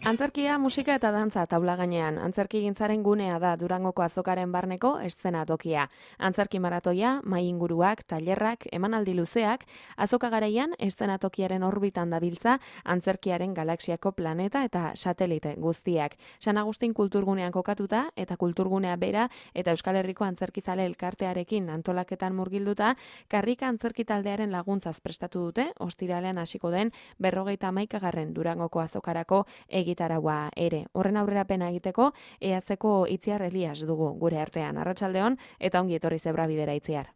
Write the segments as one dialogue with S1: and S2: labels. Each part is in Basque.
S1: Antzerkia, musika eta dantza taula gainean. Antzerkigintzaren gunea da Durangoko azokaren barneko eszenatokia. Antzerki maratoia, mai inguruak, tailerrak, emanaldi luzeak, azoka garaian eszenatokiaren orbitan dabiltza antzerkiaren galaxiako planeta eta satelite guztiak. San Agustin kulturgunean kokatuta eta kulturgunea bera eta Euskal Herriko antzerkizale elkartearekin antolaketan murgilduta, karrika antzerki taldearen laguntzaz prestatu dute, ostiralean hasiko den 51. Durangoko azokarako egitaraua ere. Horren aurrerapena egiteko, EAZko Itziar Elias dugu gure artean. Arratsaldeon eta ongi etorri Zebrabidera Itziar.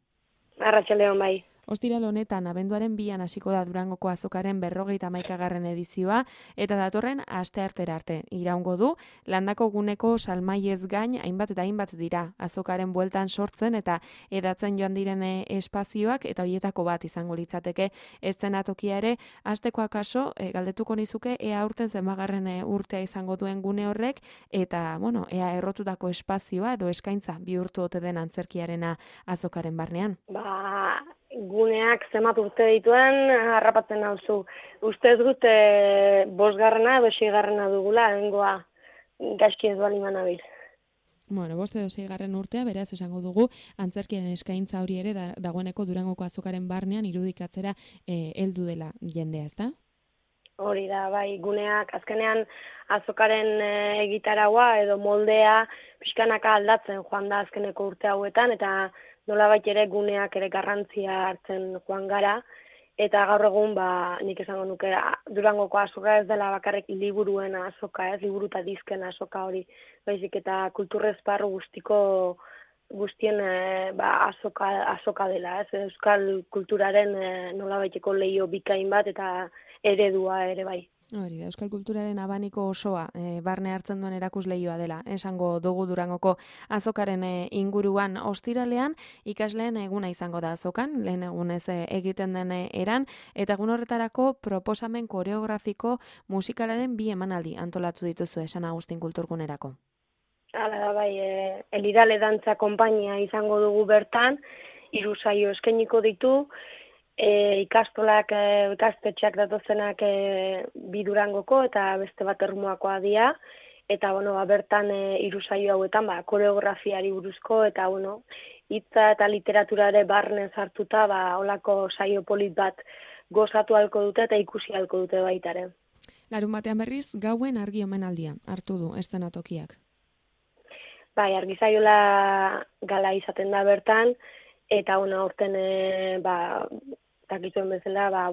S2: Arratsaldeon bai.
S1: Ostiral honetan, abenduaren 2an hasiko da Durangoko azokaren 51. edizioa, eta datorren asteartera arte iraungo du, landako guneko salmaiez gain hainbat eta hainbat dira azokaren bueltan sortzen eta edatzen joan diren espazioak, eta hoietako bat izango litzateke eszenatokia ere. Hasteko akaso, galdetuko nizuke, ea aurten zenbagarren urtea izango duen gune horrek, eta, ea errotutako espazioa edo eskaintza bihurtu ote den antzerkiarena azokaren barnean.
S2: Guneak zenbat urte dituen harrapatzen nauzu. Ustez dut 5. edo 6. dugula, hengoa gaizki ez bali manabil.
S1: 5 edo 6. urtea, beraz esango dugu, antzerkiaren eskaintza hori ere dagoeneko Durangoko azokaren barnean irudikatzera heldu dela jendea, ezta?
S2: Hori da, bai, guneak azkenean azokaren egitaraua edo moldea pixkanaka aldatzen joan da azkeneko urte hauetan, eta nolabait ere guneak ere garrantzia hartzen joan gara, eta gaur egun nik esango nuke Durangoko azoka ez dela bakarrik liburuen azoka, ez liburu eta dizken azoka hori, baizik eta kulturrezparru guztien azoka dela, ez euskal kulturaren nolabaiteko leio bikain bat eta eredua ere bai.
S1: Hori da, euskal kulturaren abaniko osoa barne hartzen duen erakusleioa dela, esango dugu Durangoko azokaren inguruan. Ostiralean ikasleen eguna izango da azokan, lehen egunez egiten den eran, eta egun horretarako proposamen koreografiko musikalaren 2 emanaldi antolatu dituzu San Agustin kulturgunerako.
S2: Hala da, bai, Elidale dantza konpainia izango dugu bertan, 3 saio eskainiko ditu, ikastolak, ikastetxeak datozenak 2 Durangoko eta beste bat Ermuakoa dira, eta bertan 3 saio hauetan koreografiari buruzko eta hitza eta literaturare barne sartuta holako saio polit bat gozatu ahalko dute eta ikusi ahalko dute baitare.
S1: Larunbatean berriz gauen argi omenaldia hartu du eszenatokiak.
S2: Bai, argi saiola gala izaten da bertan, eta aurten dakituen bezala,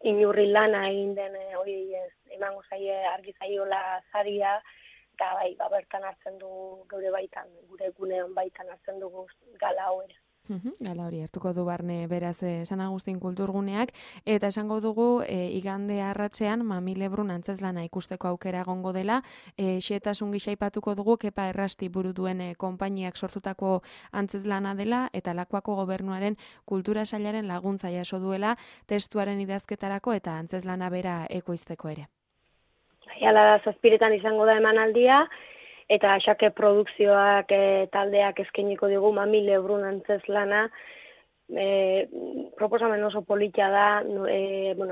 S2: inurri lana egin den hori emango zaie argi saiola saria, eta bertan hartzen du gure gunean baitan hartzen dugu gala hau ere.
S1: Gala hori hartuko du barne beraz San Agustin kulturguneak, eta esango dugu igande arratsean Mami Lebrun antzezlana ikusteko aukera egongo dela, xehetasun gisa aipatuko dugu Kepa Errasti buru duen konpainiak sortutako antzezlana dela, eta Lakuako gobernuaren kultura sailaren laguntza jaso duela testuaren idazketarako eta antzezlana bera ekoizteko ere.
S2: Hala da, 7 izango da emanaldia, eta Xake produkzioak taldeak eskainiko digu Mami Lebrun antzezlana, proposamen oso politia da,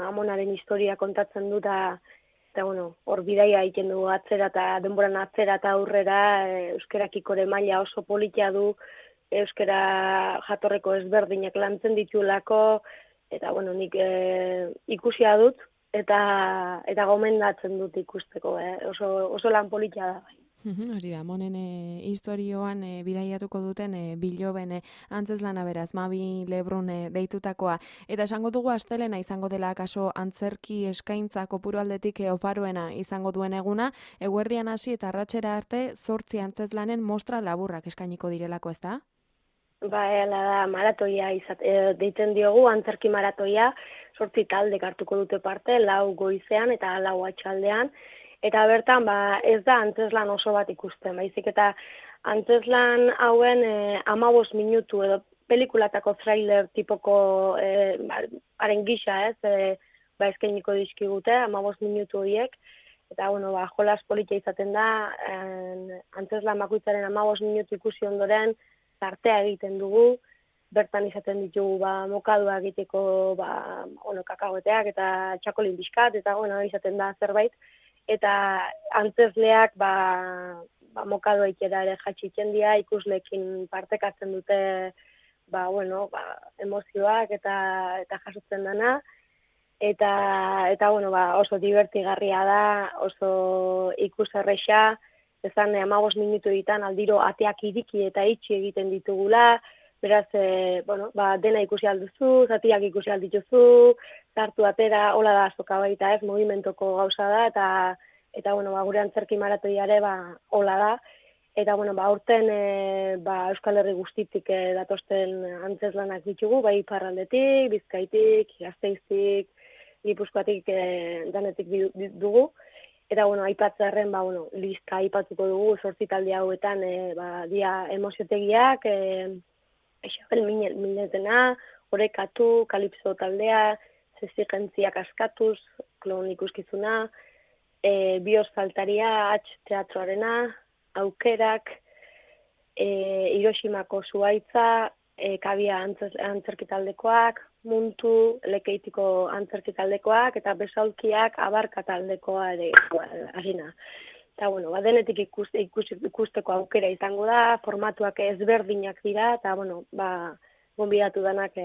S2: amonaren historia kontatzen dut, eta hor bidaia egiten dugu atzera eta denboran atzera eta aurrera, euskarakiko ere maila oso politia du, euskara jatorreko ezberdinak lantzen ditulako, eta nik ikusia dut, eta gomendatzen dut ikusteko, oso lan politia da bai.
S1: Hori da, monen historioan bidaiatuko duten biloben antzezlana beraz, Mami Lebrun deitutakoa. Eta esango dugu astelena izango dela akaso antzerki eskaintza kopuru aldetik oparoena izango duen eguna, eguerdian hasi eta arratsera arte 8 antzezlanen mostra laburrak eskainiko direlako, ezta?
S2: Hala da, maratoia deiten diogu, antzerki maratoia, 8 taldek hartuko dute parte, 4 goizean eta 4 atxaldean, eta bertan ez da antzeslan oso bat ikusten, baizik eta antzeslan hauen 15 minutu edo pelikulatako trailer tipoko haren gisa eskainiko dizkigute 15 minutu horiek, eta jolas politia izaten da, antzeslan bakoitzaren 15 minutu ikusi ondoren tartea egiten dugu, bertan izaten ditugu mokadua egiteko kakaoeteak eta txakolin bizkat, eta izaten da zerbait, eta antzesleak mokadoik ere jatxitzen dira, ikuslekin partekatzen dute emozioak eta jasotzen dana. Eta oso divertigarria da, oso ikuserresa, ezan 15 minutu ditan aldiro ateak iriki eta itxi egiten ditugula, beraz, dena ikusi alduzu, zatiak ikusi aldituzu, sartu atera, hola da azoka baita ez, movimentoko gauza da, eta gure antzerki maratoiare hola da, eta aurten Euskal Herri guztitik datosten antzeslanak ditugu, bai Iparraldetik, Bizkaitik, Gasteiztik, Gipuzkoatik danetik dugu. Eta, aipatzearren, lista aipatuko dugu, 8 talde hauetan, dia emoziotegiak, Isabel Minetena, Orekatu, Kalipso taldea, Zezigentziak askatuz, klon ikuskizuna, Bios faltaria, teatroarena, Aukerak, Hiroshimako zuaitza, Kabia antzerkitaldekoak, Muntu, Lekeitiko antzerkitaldekoak, eta Besaulkiak Abarka taldekoa ere harina. Eta, denetik ikusteko aukera izango da, formatuak ezberdinak dira, eta, gonbidatu danak,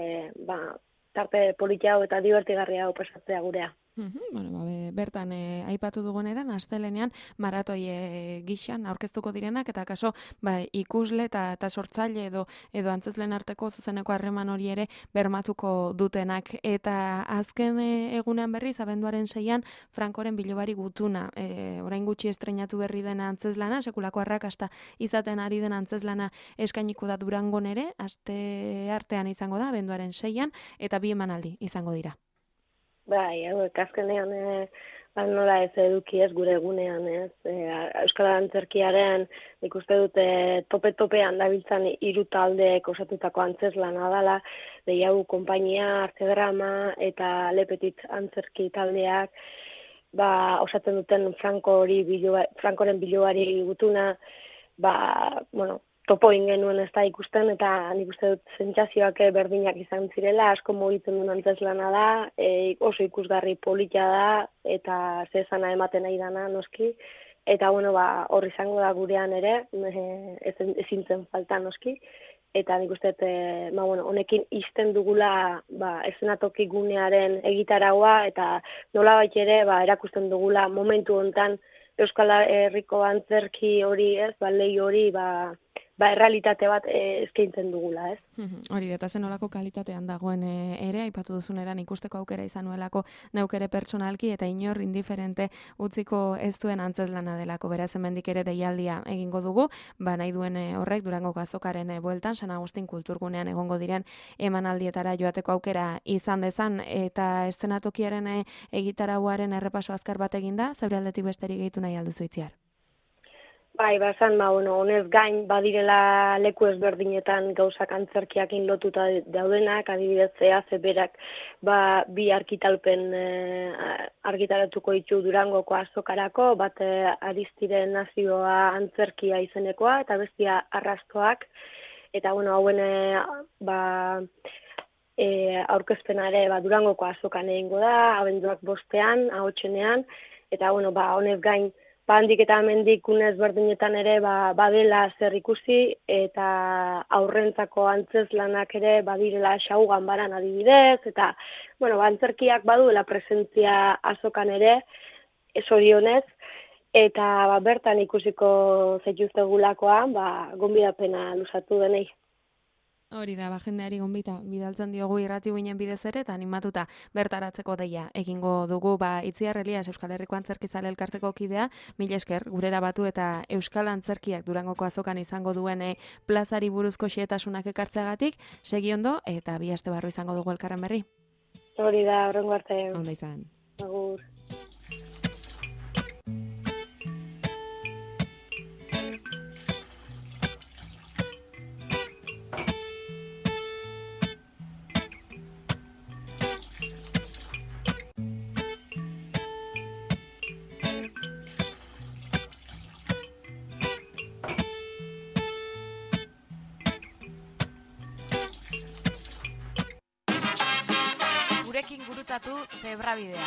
S2: tarte politia hau eta divertigarria hau pasatzea gurea.
S1: Bertan aipatu duguneran astelenean maratoi gixan aurkeztuko direnak eta kaso ikusle eta sortzaile edo antzesleen arteko zuzeneko harreman hori ere bermatuko dutenak eta azken egunean berriz abenduaren 6an Frankoren bilobari gutuna orain gutxi estreinatu berri dena antzeslana sekulako arrakasta izaten ari den antzeslana eskainiko da Durangon ere aste artean izango da abenduaren 6an eta 2 emanaldi izango dira.
S2: Bai, azkenean nola ez eduki ez gure egunean, ez. Euskal Antzerkiaren ikuste dute tope-topean dabiltzan 3 taldeek osatutako antzeslana dela, Deiau konpainia, Artedrama eta Lepetit antzerki taldeak, osatzen duten Frankoren bilobari gutuna, topo genuen ez da ikusten, eta nik uste dut sentsazioak berdinak izan zirela, asko mugitzen duen antzeslana da, oso ikusgarri polita da, eta zezana ematen nahi dana noski, eta hor izango da gurean ere, ezin zen falta noski, eta nik uste dut, honekin izten dugula eszenatoki gunearen egitaraua, eta nolabait ere erakusten dugula momentu hontan Euskal Herriko antzerki hori ez, lehi hori, errealitate bat eskaintzen dugula, ez?
S1: Hori, eta zen olako kalitatean dagoen ere, aipatu duzuneran ikusteko aukera izan nuelako neukere pertsonalki eta inor indiferente utziko ez duen antzeslana delako, beraz hemendik ere deialdia egingo dugu, nahi duen horrek Durangoko azokaren bueltan, San Agustin kulturgunean egongo diren emanaldietara joateko aukera izan dezan, eta eszenatokiaren egitarauaren errepaso azkar bat eginda, zeure aldetik besterik gehitu nahi alduzu Itziar?
S2: Bai, honez gain badirela leku ezberdinetan gauzak antzerkiakin lotuta daudenak, adibidez berak 2 argitalpen argitaratuko ditu Durangoko azokarako, bat Aristiren nazioa antzerkia izenekoa, eta bestia arrastoak, eta hauen aurkezpena ere Durangoko azokan egingo da, abenduak 5ean, ahotsenean, eta honez gain, handik eta hemendik unez berdinetan ere badela zer ikusi eta aurrentzako antzeslanak ere badirela Xaugan baran adibidez eta antzerkiak baduela presentzia azokan ere zorionez eta bertan ikusiko zaituztegulakoan gonbidapena luzatu denei.
S1: Hori da, jendeari gonbita bidaltzen diogu irrati guinen bidez ere eta animatuta bertaratzeko deia egingo dugu Itziar Elias Euskal Herriko Antzerkizale elkarteko kidea, mila esker gurera batu eta Euskal Antzerkiak Durangoko azokan izango duen plazari buruzko xehetasunak ekartzeagatik, segi ondo eta 2 aste barru izango dugu elkarren berri.
S2: Hori da, horrengo arte.
S1: Ondo izan.
S2: Agur.
S3: Gurekin gurutzatu Zebrabidea.